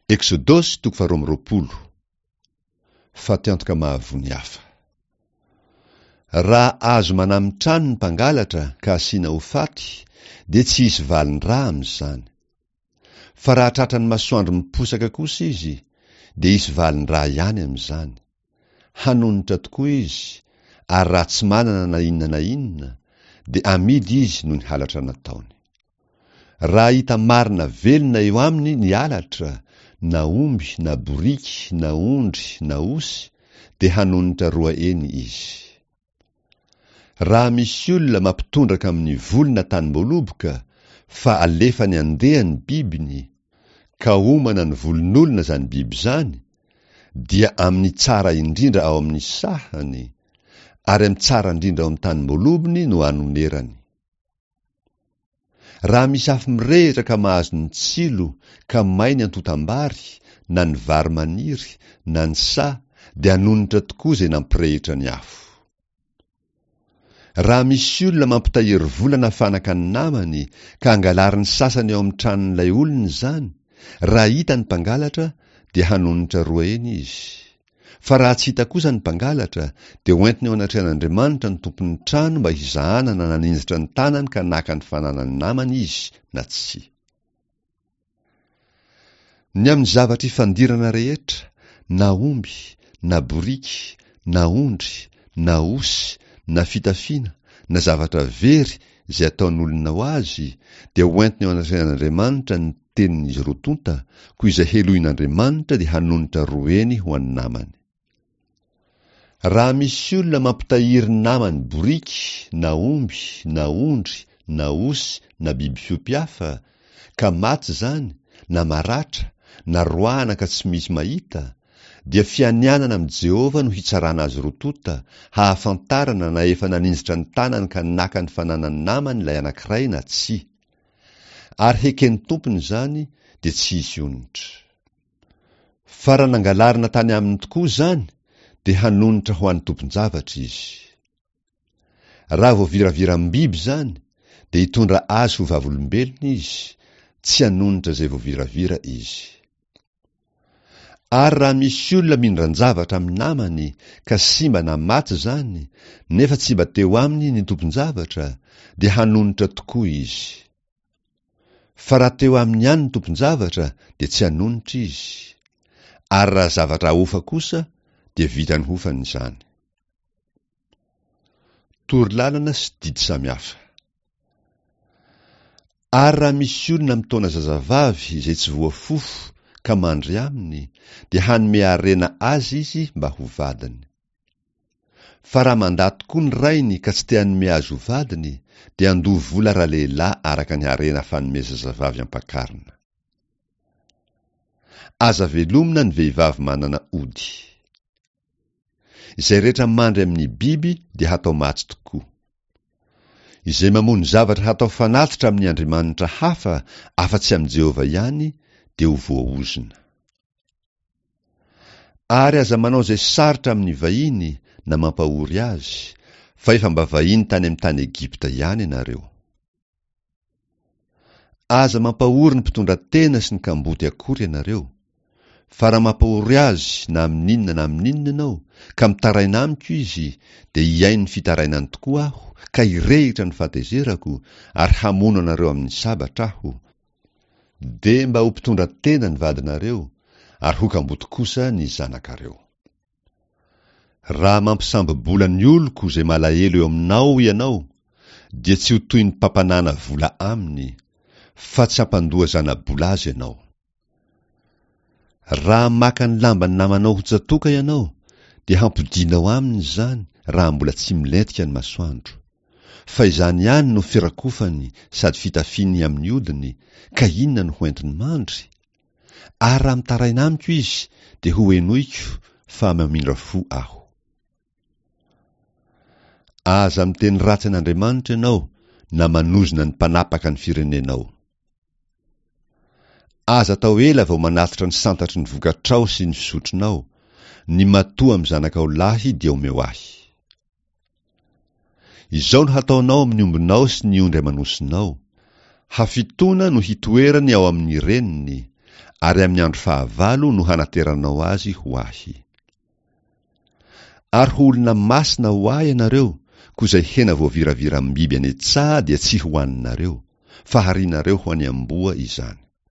Eksodosy toko faharoa amby roapolo. Fatiantoka mahavoa ny hafa. Raha azo manami-trano ny mpangalatra ka asiana ho faty, dia tsy hisy valin-drà amin'izany. Fa raha tratran'ny masoandro miposaka kosa izy, dia hisy valin-drà ihany amin'izany. Hanonitra tokoa izy, ary raha tsy manana na inona na inona, dia amidy izy noho ny halatra nataony. Raha hita marina velona eo aminy ny halatra, na omby na boriky na ondry na osy, dia hanonitra roa heny izy. Raha misy olona mampitondraka amin'ny voly na tanim-boaloboka, fa alefany handeha ny bibiny, ka homana ny volon'olona izany biby izany, dia amin'ny tsara indrindra ao amin'ny sahany, ary amin'ny tsara indrindra ao amin'ny tanim-boalobony no anonerany. Raha misy afo mirehitra ka mahazo ny tsilo ka may ny antontam-bary, na ny vary maniry, na ny saha, dia hanonitra tokoa izay nampirehitra ny afo. Raha misy olona mampitahiry vola na fanaka ny namany ka angalarin'ny sasany ao amin'ny tranon'ilay olona izany, raha hita ny mpangalatra dia hanonitra roa heny izy. Fa raha tsy hita kosa ny mpangalatra, dia hoentiny eo anatrehan'Andriamanitra ny tompon'ny trano mba hizahana na naninjitra ny tanany ka naka ny fananan'ny namany izy na tsia. Ny amin'ny zavatra ifandirana rehetra, na omby, na boriky, na ondry, na osy, na fitafiana, na zavatra very izay ataon'olona ho azy, dia hoentiny eo anatrehan'Andriamanitra ny tenin'izy roa tonta, koa izay helohin'Andriamanitra dia hanonitra roa heny ho an'ny namany. Raha misy olona mampitahiry ny namany boriky na omby na ondry na osy na biby fiompy hafa, ka maty izany, na maratra, na roahana ka tsy misy mahita, dia fianianana amin'i Jehovah no hitsarana azy roa tonta, hahafantarana na efa naninjitra ny tanany ka naka ny fananan'ny namany ilay anankiray na tsia. Ary heken'ny tompony izany, dia tsy hisy onitra. Fa raha nangalarina tany aminy tokoa izany, dia hanonitra ho an'ny tompon-javatra izy. Raha voaviraviram-biby izany, dia hitondra azy ho vavolombelona izy, tsy hanonitra izay voaviravira izy. Ary raha misy olona mindran-javatra amin'ny namany ka simba na maty izany, nefa tsy mba teo aminy ny tompon-javatra, dia hanonitra tokoa izy. Fa raha teo aminy ihany ny tompon-javatra, dia tsy hanonitra izy. Ary raha zavatra ahofa kosa, dia vitany hofany izany. Torolalana sy didy samihafa. Ary raha misy olona mitaona zazavavy izay tsy voafofo ka mandry aminy, dia hanome harena azy izy mba ho vadiny. Fa raha mandà tokoa ny rainy ka tsy te hanome azy ho vadiny, dia handoa vola ralehilahy araka ny harena fanome zazavavy ampakarina. Aza velomina ny vehivavy manana ody. Izay rehetra mandry amin'ny biby dia hatao maty tokoa. Izay mamono zavatra hatao fanatitra amin'ny andriamanitra hafa afa-tsy amin'i Jehovah ihany dia ho voaozona. Ary aza manao izay sarotra amin'ny vahiny na mampahory azy, fa efa mba vahiny tany amin'ny tany Egypta ihany ianareo. Aza mampahory ny mpitondra tena sy ny kamboty akory ianareo, fa raha mampahory azy na amin'inona na amin'inona ianao, ka mitaraina amiko izy, dia hihaino ny fitarainany tokoa aho, ka hirehitra ny fahatezerako, ary hamono anareo amin'ny sabatra aho. Dia mba ho mpitondra tena ny vadinareo, ary ho kamboty kosa ny zanakareo. Raha mampisambo-bola ny oloko izay malahelo eo aminao ianao, dia tsy ho toy ny mpampanàna vola aminy, fa tsy hampandoa zana-bola azy ianao. Raha maka ny lamban'ny namanao ho tsatoka ianao, dia hampodianao aminy izany raha mbola tsy milentika ny masoandro. Fa izany ihany no firakofany sady fitafiany amin'ny hodiny, ka inona no hoentiny mandry? Ary raha mitaraina amiko izy, dia hohenoiko fa mamindra fo aho. Aza miteny ratsy an'Andriamanitra ianao na manozona ny mpanapaka ny firenenao. Aza atao ela vao manatitra ny santatry ny vokatrao sy ny fisotronao, ny matoa amin'ny zanakao lahy dia omeo ahy. Izao no hataonao amin'ny ombinao sy ny ondry aman'osinao, Hafitoana no hitoerany ao amin'ny reniny, Ary amin'ny andro fahavalo no hanateranao azy ho Ahy. Ary ho olona masina ho Ahy ianareo, koa izay hena voaviraviram-biby any an-tsaha dia tsy hohaninareo, fa harianareo ho an'ny amboa izany.